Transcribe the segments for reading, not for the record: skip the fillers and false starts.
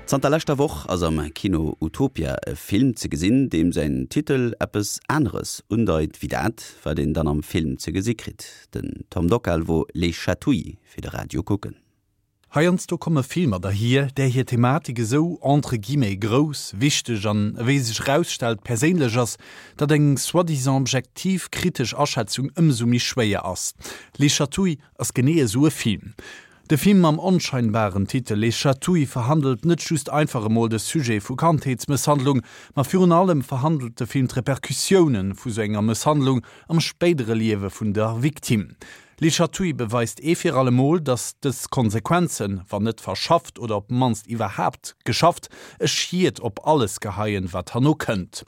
Zanter leschter Woch ass am Kino Utopia e Film ze gesinn, deem säin Titel eppes aneres undeit wéi dat, wat een dann am Film ze gesi kritt. Den Tom Dockal wor Les Chatouilles fir de Radio kucken. Heiansdo komme Filmer derhier, där hir Thematik esou entre guillemets grouss, wichteg an, ewéi sech erausstellt, perséinlech ass, datt eng soi-disant objektiv kritesch Aschätzung ëmsou méi schwéier ass. Les Chatouilles ass genee esou e Film. De Film mam onscheinbaren Titel Les Chatouilles verhandelt net just einfach emol de Sujet vu Kandheetsmësshandlung, ma virun allem verhandelt de Film d'Repercussioune vu sou enger Mësshandlung am spéidere Liewe vun der Victime. Les Chatouilles beweist ee fir alle Mol, datt dës Konsequenzen, wann net verschafft oder op d'mannst iwwerhaapt geschafft, e Schied op alles geheien, wat herno kënnt.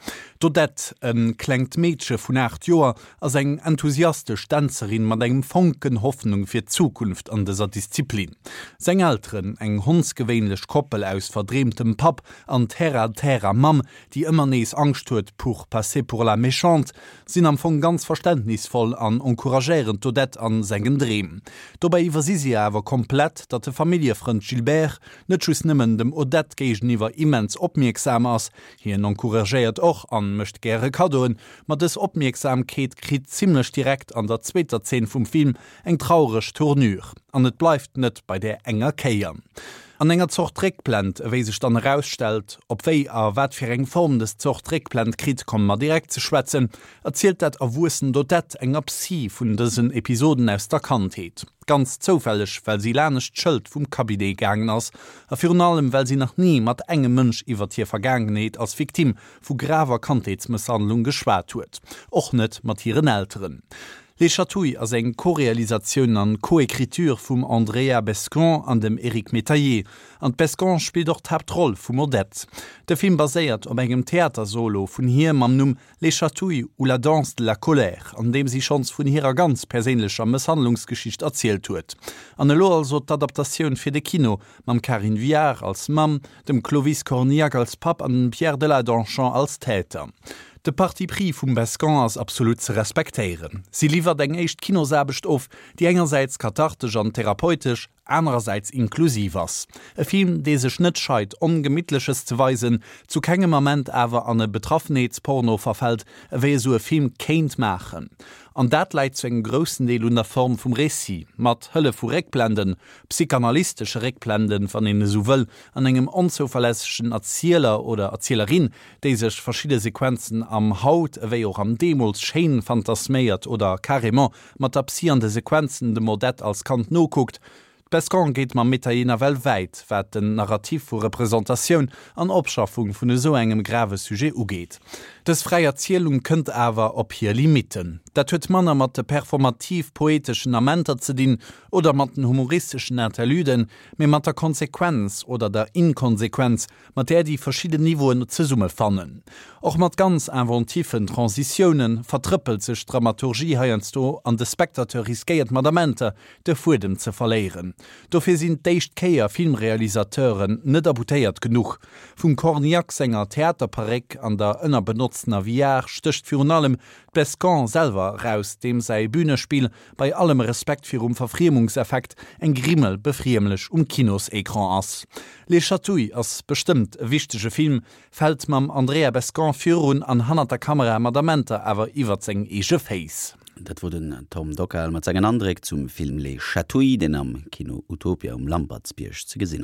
D'Odette, e klengt Meedche vun 8 Joer, ass eng enthusiastesch Dänzerin mat engem Fonken Hoffnung fir d'Zukunft an dëser Disziplin. Seng Elteren, eng hondsgewéinlech Koppel aus verdreemtem Papp an terre-à-terrer Mamm, déi ëmmer nees Angscht huet pour passer pour la méchante, sinn am Fong ganz verständnisvoll an encouragéieren d'Odette an sengen Dreem. Dobäi iwwersi si awer komplett, datt de Familljefrënd Gilbert net just nëmmen dem Odette géigeniwwer immens opmierksam ass, hien encouragéiert och an mécht gäre Kaddoen, ma dës Opmierksamkeet kritt zimlech direkt an der zweeter Zeen vum Film eng traureg Tournure. An et bleift net bei där enger Kéier. An enger Zort Réckblend, ewéi sech dann erausstellt, op wéi a wat fir eng Form des Zort Réckblend kritt, komme mer direkt ze schwätzen, erzielt dat erwuessent Odette enger Psy vun dësen Episoden aus der Kandheet. Ganz zoufälleg, well si lanescht d'Schëld vum Cabinet gaangen ass a virun allem, well si nach ni mat engem Mënsch iwwert hir Vergaangenheet als Victime vu graver Kandheetsmësshandlung geschwat huet, och net mat hiren Elteren. Les Chatouilles ass eng Co-Realisatioun an Co-Écriture vum Andrea Bescond an dem Eric Métayer, an d'Bescond spillt och d'Haaptroll vum Odette. De Film baséiert op engem Theatersolo vun hir mam Numm Les Chatouilles ou la danse de la colère, an deem si schonns vun hirer ganz perséinlecher Mësshandlungsgeschicht erzielt huet. An elo also d'Adaptatioun fir de Kino, mam Karin Viard als Mamm, dem Clovis Cornillac als Papp an dem Pierre Deladonchamps als Täter. De Parti pris vum Bescond ass absolut ze respektéieren. Si liwwert eng éischt Kinosaarbecht of, déi engersäits kathartesch an therapeutesch, anerersäits inklusiv ass. E Film, dee sech net scheit, Ongemittleches ze weisen, zu kengem Ament awer an e Betraffenheetsporno verfält, ewéi esou e Film kéint maachen. An dat läit zu engem groussen Deel un der Form vum Récit, mat Hëllef vu Réckblenden, psychanalystesche Réckblenden, wann een esou wëll, an engem onzouverlässegen Erzieler oder Erzielerin, déi sech verschidde Sequenzen am Haut ewéi och am Deemools schéin fantasméiert oder carrément mat der Psy an de Sequenzen dem Odette als Kand nokuckt. D'Bescon geet mam Métayer nawell wäit, wat den Narrativ vu Representatioun an Opschaffung vun esou engem grave Sujet ugeet. Dës fräi Erzielung kënnt awer op hir Limitten. Dat huet manner mat de performativ-poeteschen Amenter ze dinn oder mat den humoristeschen Interluden, mee mat der Konsequenz oder der Inkonsequenz, mat där déi verschidden Niveauen zesummefannen. Och mat ganz inventiffen Transitiounen vertrëppelt sech d'Dramaturgie heiansdo an de Spectateur riskéiert mat Amenter de Fuedem ze verléieren. Dofir sinn d'éischt Kéier Filmrealisateuren net aboutéiert genuch. Vum Cornillac senger Theaterparéck an der ënnerbenotztener Viard stécht virun allem d'Bescon selwer eraus, deem säi Bünespill bei allem Respekt virum Verfriemungseffekt, eng Grimmel befriemlech um Kinosecran ass. Les Chatouilles ass bestëmmt e wichtege Film, fält mam Andrea Bescond virun an hannert der Kamera mat Amenter awer iwwert seng eege Féiss. Dat wor den Tom Dockal mat sengen Andréck zum Film Les Chatouilles, deen am Kino Utopia um Lampertsbierg ze gesinn ass.